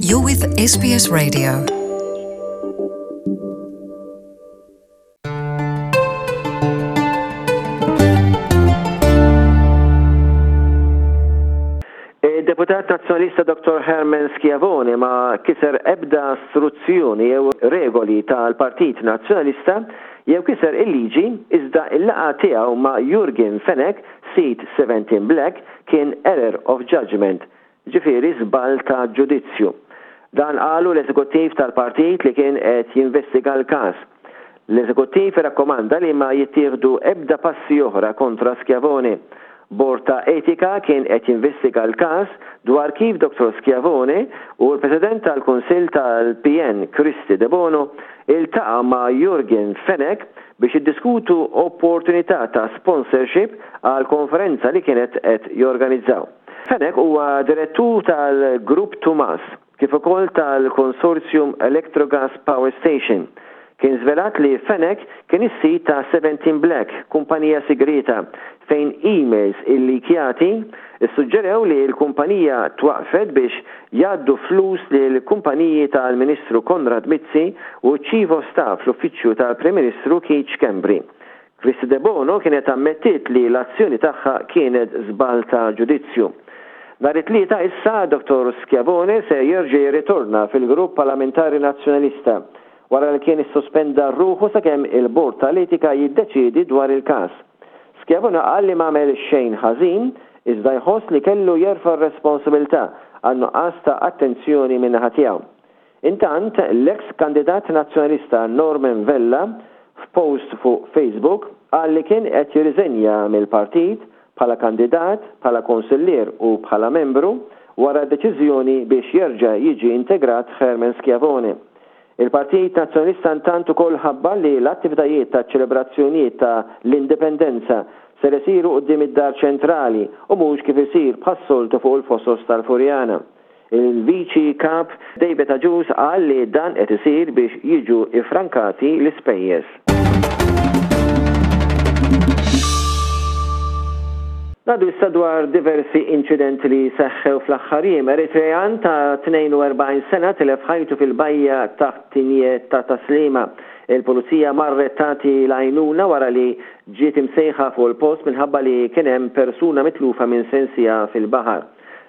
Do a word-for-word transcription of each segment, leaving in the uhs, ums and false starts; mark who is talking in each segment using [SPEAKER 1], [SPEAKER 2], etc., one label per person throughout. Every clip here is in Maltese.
[SPEAKER 1] You're with S B S Radio.
[SPEAKER 2] Deputat Nazzjonalista Dottor Herman Schiavone ma kiser ebda struzzjoni jew regoli tal-Partit Nazzjonalista jew kiser il-liġi, iżda il-laqgħa tiegħu ma' Yorgen Fenech, sid seventeen Black, kien error of judgment, ġifieri żball ta' ġudizzju. Dan qalu l-eżekuttiv tal-partit li kien qed jinvestiga l-każ. L-eżekuttiv rakkomanda li ma jittieħdu ebda passi oħra kontra Schiavone. Bord ta' etika kien qed jinvestiga l-każ dwar kif Dottor Schiavone u l-President tal-Kunsill tal-P N Kristy Debono iltaqa' ma' Yorgen Fenech biex jiddiskutu opportunità ta' sponsorship għal konferenza li kienet qed jorganizzaw. Fenech huwa direttur tal-Grupp Tumas kif ukoll tal-Konsorzjum Electrogas Power Station. Kien żvelat li Fenech kien is-sid ta' seventeen Black, kumpanija sigrita, fejn emails illikjati issuġġerew li l-kumpanija twaqfet biex jgħaddu flus lil kumpaniji tal-Ministru Konrad Mizzi u Chief of Staff l-Uffiċċju tal-Prim Ministru Keith Schembri. Kristy Debono kienet ammettiet li l-azzjoni tagħha kienet żball ta' ġudizzju. Nhar it-Tlieta issa Dottor Schiavone se jerġa' jirritorna fil-Grupp Parlamentari Nazzjonalista wara li kien issospenda ruħu sakemm il-Bord tal-Etika jiddeċiedi dwar il-każ. Schiavone qal li m'għamel xejn ħażin, iżda jħoss li kellu jerfa' r-responsabilità għal nuqqas ta' attenzjoni min-naħa tiegħu. Intant, l-ex kandidat nazzjonalista Norman Vella f'post fuq Facebook qal li kien qed jirriżenja mill-partit bħala kandidat, bħala konsillier u bħala membru wara deċiżjoni biex jerġa' jiġi integrat Herman Schiavone. Il-Partit Nazzjonalista intant ukoll ħabbar li l-attivitajiet ta' ċelebrazzjonijiet ta' l-indipendenza ser isiru quddiem id-Dar Ċentrali u mhux kif isir bħas-soltu fuq il-Fosos tal-Furjana. Il-Viċi Kap David Agius qal li dan qed isir biex jiġu ifrankati l-ispejjeż. Ngħaddu issa dwar diversi inċidenti li seħħew fl-aħħar jiem. Eritrean ta' tnejn u erbgħin sena tilef ħajtu fil-bajja taħt Tigné ta' Tas-Sliema. Il-pulizija marret tagħti l-għajnuna wara li ġiet imsejħa fuq il-post minħabba li kien hemm persuna mitlufa minn sensija fil-baħar.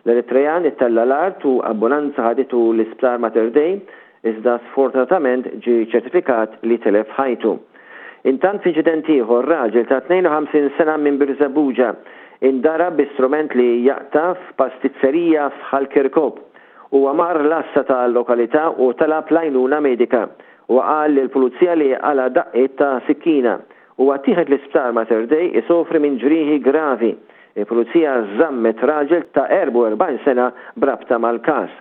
[SPEAKER 2] L-Eritrean ittella l-art u ambulanza ħaditu l-isptar Mater Dei, iżda sfortunatament ġi ċertifikat li telef ħajtu. Intant, f'inċident ieħor, raġel ta' tnejn u ħamsin sena minn Birżebbuġa indarab bi strument li jaqta' f'pastizzerija f'Ħal Kirkop. Huwa mar l-għassa tal-lokalità u talab l-għajnuna medika u qal lill-pulizija li qala' daqqiet ta' sikkina u ttieħed l-isptar Mater Dei isofri minn ġrieħi gravi. Il-pulizija żammet raġel ta' erbgħa u erbgħin sena b'rabta mal-każ.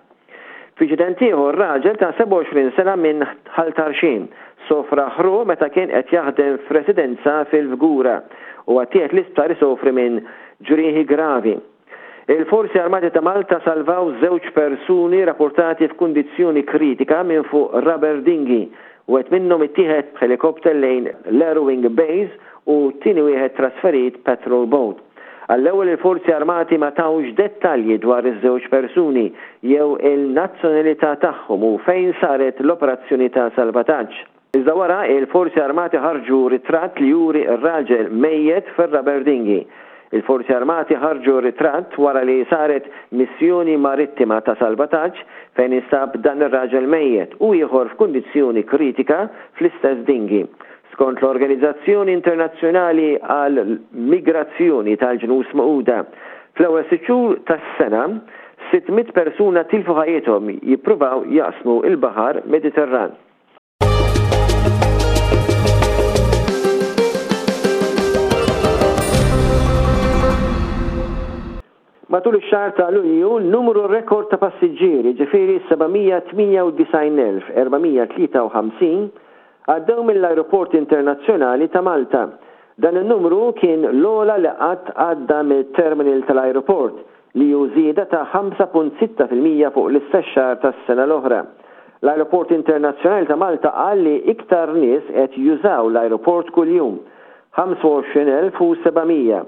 [SPEAKER 2] F'inċident ieħor, raġel ta' sebgħa u għoxrin sena minn Ħal Tarxien sofra ħruq meta kien qed jaħdem f'residenza fil-Fgura u ttieħed l-isptar isofri minn ġrieħi gravi. Il-Forzi Armati ta' Malta salvaw żewġ persuni rapportati f'kundizzjoni kritika minn fuq rubber dinghy. Wieħed minnhom ittieħed b'helikopter lejn l-Airwing Base u t-tieni wieħed trasferit patrol boat. Għall-ewwel il-Forzi Armati ma tawx dettalji dwar iż-żewġ persuni jew il-nazzjonalità tagħhom u fejn saret l-operazzjoni ta' salvataġġ. Iżda wara il-Forzi Armati ħarġu ritratt li juri r-raġel mejjet fir-rubber dinghy. Il-Forzi Armati ħarġu ritratt wara li saret missjoni marittima ta' salvataġġ fejn instab dan ir-raġel mejjet u ieħor f'kundizzjoni kritika fl-istess dinghy. Skont l-Organizzazzjoni Internazzjonali għal Migrazzjoni tal-Ġnus Magħquda, fl-ewwel sitt xhur tas-sena sitt mitt persuna tilfu ħajjithom jippruvaw jaqsmu il-Baħar Mediterran. Matul ix-xahar ta' Lulju, numru rekord ta' passiġġieri, ġifieri seba' mija tmienja u disgħin elf erba' mija tlieta u ħamsin, għaddew mill-Aeroport Internazzjonali ta' Malta. Dan il-numru kien l-ogħla li qatt għadda mill-terminal tal-aeroport, li hu żieda ta' ħamsa punt sitta fil-mija fuq l-istess xahar tas-sena l-oħra. L-Aeroport Internazzjonali ta' Malta qal li iktar nies qed jużaw l-aeroport kuljum, ħamsa u għoxrin elf u seba' mija,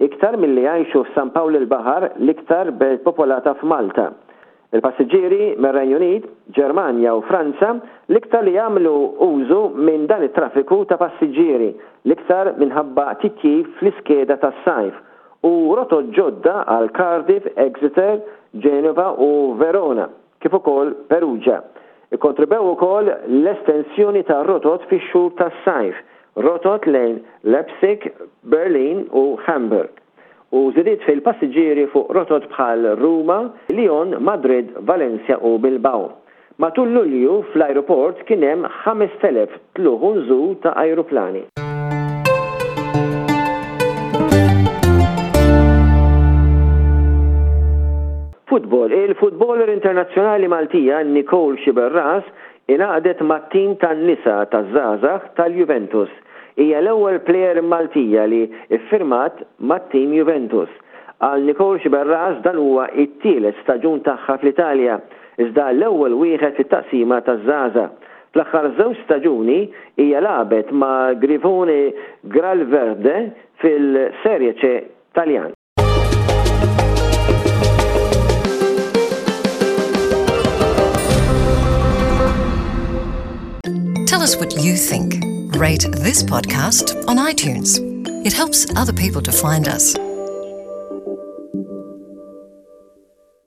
[SPEAKER 2] iktar milli jgħixu f'San Pawl il-Baħar, l-iktar belt popolata f'Malta. Il-passiġġieri mir-Renju Unit, Ġermanja u Franza l-iktar li jagħmlu użu minn dan it-traffiku ta' passiġġieri, l-iktar minħabba titjib fl-iskeda tas-sajf u rotot ġodda għal Cardiff, Exeter, Genova u Verona, kif ukoll Perugia. Ikkontribwew ukoll l-estensjoni ta' rotot fix-xhur tas-sajf, rotot lejn Leipzig, Berlin u Hamburg u żidiet fil-passiġġieri fuq rotot bħal Ruma, Lyon, Madrid, Valencia u Bilbao. Matul Lulju fl-ajruport kien hemm ħamest elef tlugħ u nżul ta' ajruplani. Futbol. Il-futboler internazzjonali Maltija Nicole Sciberras ingħaqdet mat-tim tan-nisa taż-żgħażagħ tal-Juventus. Hija l-ewwel plejer Maltija li iffirmat mat-tim Juventus. Għal Nicole Sciberras dan huwa it-tielet staġun tagħha fl-Italja, iżda l-ewwel wieħed fit-taqsima taż-żgħażagħ. Fl-aħħar żewġ staġuni hija lagħbet ma' Grifone Gialloverde fil-Serie C Taljan.
[SPEAKER 1] Tell us what you think. Rate this podcast on iTunes. It helps other people to find us.